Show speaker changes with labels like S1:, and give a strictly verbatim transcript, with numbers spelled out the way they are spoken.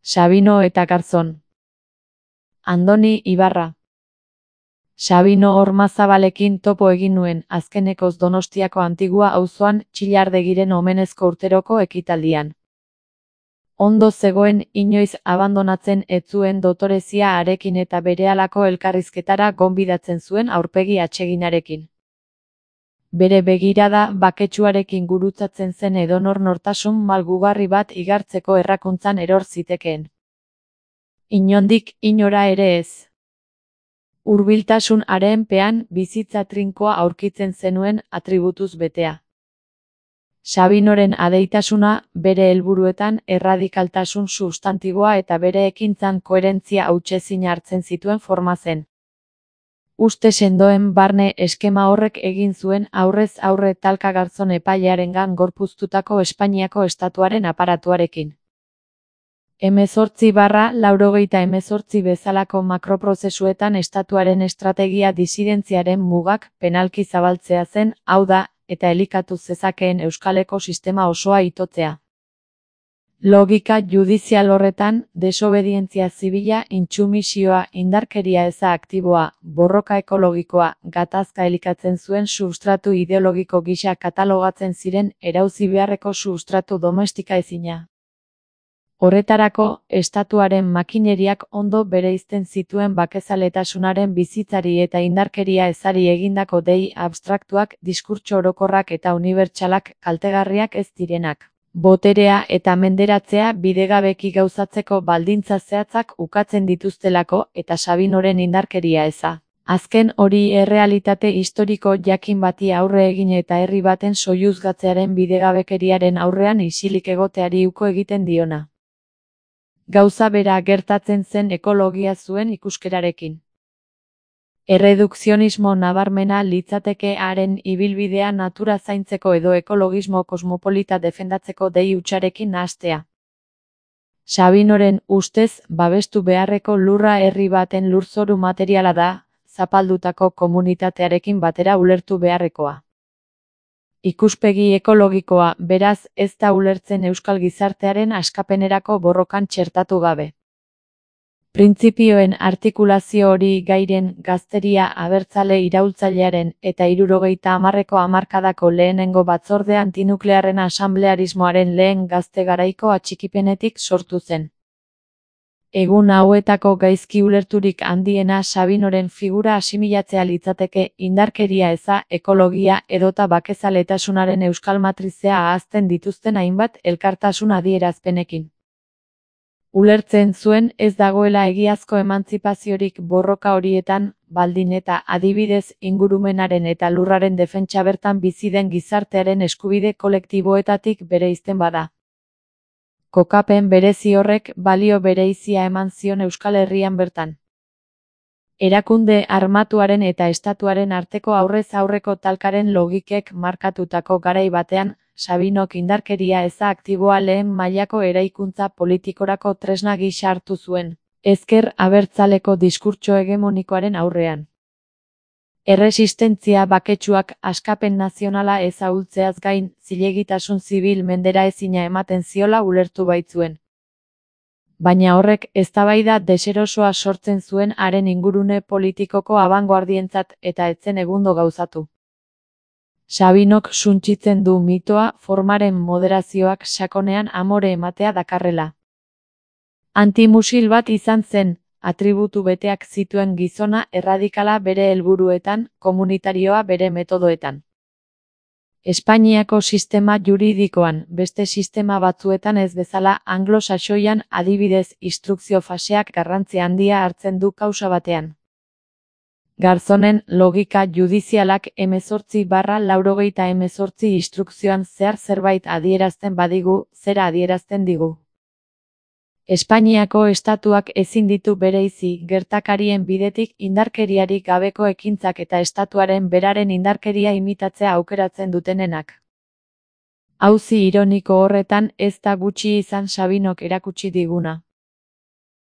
S1: Sabino eta Garzón. Andoni Ibarra. Sabino Ormazabalekin topo egin nuen, azkenekoz Donostiako Antigua auzoan Txillardegiren omenezko urteroko ekitaldian. Ondo zegoen, inoiz abandonatzen ez zuen dotorezia harekin eta berehalako elkarrizketara gonbidatzen zuen aurpegi atseginarekin. Bere begirada baketsuarekin gurutzatzen zen edonor nortasun malgugarri bat igartzeko errakuntzan eror zitekeen. Inondik inora ere ez. Hurbiltasun harenpean bizitza trinkoa aurkitzen zenuen atributuz betea. Sabinoren adeitasuna bere helburuetan erradikaltasun substantiboa eta bere ekintzan koherentzia hutsezin hartzen zituen forma zen. Uste sendoen barne eskema horrek egin zuen aurrez aurre talka Garzón epailearengan gorpuztutako Espainiako estatuaren aparatuarekin. Hemezortzi barra laurogeita hemezortzi bezalako makroprozesuetan estatuaren estrategia disidentziaren mugak penalki zabaltzea zen, hau da, eta elikatu zezakeen euskaleko sistema osoa itotzea. Logika judizial horretan, desobedientzia zibila, intsumisioa, indarkeria eza aktiboa, borroka ekologikoa, gatazka elikatzen zuen substratu ideologiko gisa katalogatzen ziren erauzi beharreko substratu domestika ezina. Horretarako, estatuaren makineriak ondo bereizten zituen bakezaletasunaren bizitzari eta indarkeria ezari egindako dei abstraktuak, diskurtso orokorrak eta unibertsalak kaltegarriak ez direnak. Boterea eta menderatzea bidegabeki gauzatzeko baldintza zehatzak ukatzen dituztelako eta Sabinoren indarkeria eza. Azken hori errealitate historiko jakin bati aurre egin eta herri baten soiluzgatzearen bidegabekeriaren aurrean isilik egoteari uko egiten diona. Gauza bera gertatzen zen ekologia zuen ikuskerarekin. Erredukzionismo nabarmena litzateke haren ibilbidea natura zaintzeko edo ekologismo kosmopolita defendatzeko dei hutsarekin nahastea. Sabinoren ustez babestu beharreko lurra herri baten lurzoru materiala da, zapaldutako komunitatearekin batera ulertu beharrekoa. Ikuspegi ekologikoa, beraz, ez da ulertzen euskal gizartearen askapenerako borrokan txertatu gabe. Printzipioen artikulazio hori gairen gazteria abertzale iraultzailearen eta hirurogeita hamarreko hamarkadako lehenengo batzorde antinuklearren asamblearismoaren lehen gazte garaiko atxikipenetik sortu zen. Egun hauetako gaizki ulerturik handiena Sabinoren figura asimilatzea litzateke indarkeria eza, ekologia edota bakezaletasunaren euskal matrizea ahazten dituzten hainbat elkartasun adierazpenekin. Ulertzen zuen ez dagoela egiazko emantzipaziorik borroka horietan, baldin eta adibidez ingurumenaren eta lurraren defentsa bertan bizi den gizartearen eskubide kolektiboetatik bereizten bada. Kokapen berezi horrek balio bereizia eman zion Euskal Herrian bertan. Erakunde armatuaren eta estatuaren arteko aurrez aurreko talkaren logikek markatutako garai batean, Sabinok indarkeria eza aktiboa lehen mailako eraikuntza politikorako tresna gisa hartu zuen, ezker abertzaleko diskurtso hegemonikoaren aurrean. Erresistentzia baketsuak askapen nazionala ez ahultzeaz gain, zilegitasun zibil mendera ezina ematen ziola ulertu baitzuen. Baina horrek eztabaida deserosoa sortzen zuen haren ingurune politikoko abangoardientzat eta etzen egundo gauzatu. Sabinok suntsitzen du mitoa formaren moderazioak sakonean amore ematea dakarrela. Antimusil bat izan zen, atributu beteak zituen gizona erradikala bere helburuetan, komunitarioa bere metodoetan. Espainiako sistema juridikoan, beste sistema batzuetan ez bezala anglo-saxoian adibidez instrukzio faseak garrantzi handia hartzen du kausa batean. Garzonen logika judizialak hemezortzi barra laurogeita hemezortzi instrukzioan zehar zerbait adierazten badigu, zera adierazten digu. Espainiako estatuak ezin ditu bereizi gertakarien bidetik indarkeriarik gabeko ekintzak eta estatuaren beraren indarkeria imitatzea aukeratzen dutenenak. Auzi ironiko horretan ez da gutxi izan Sabinok erakutsi diguna.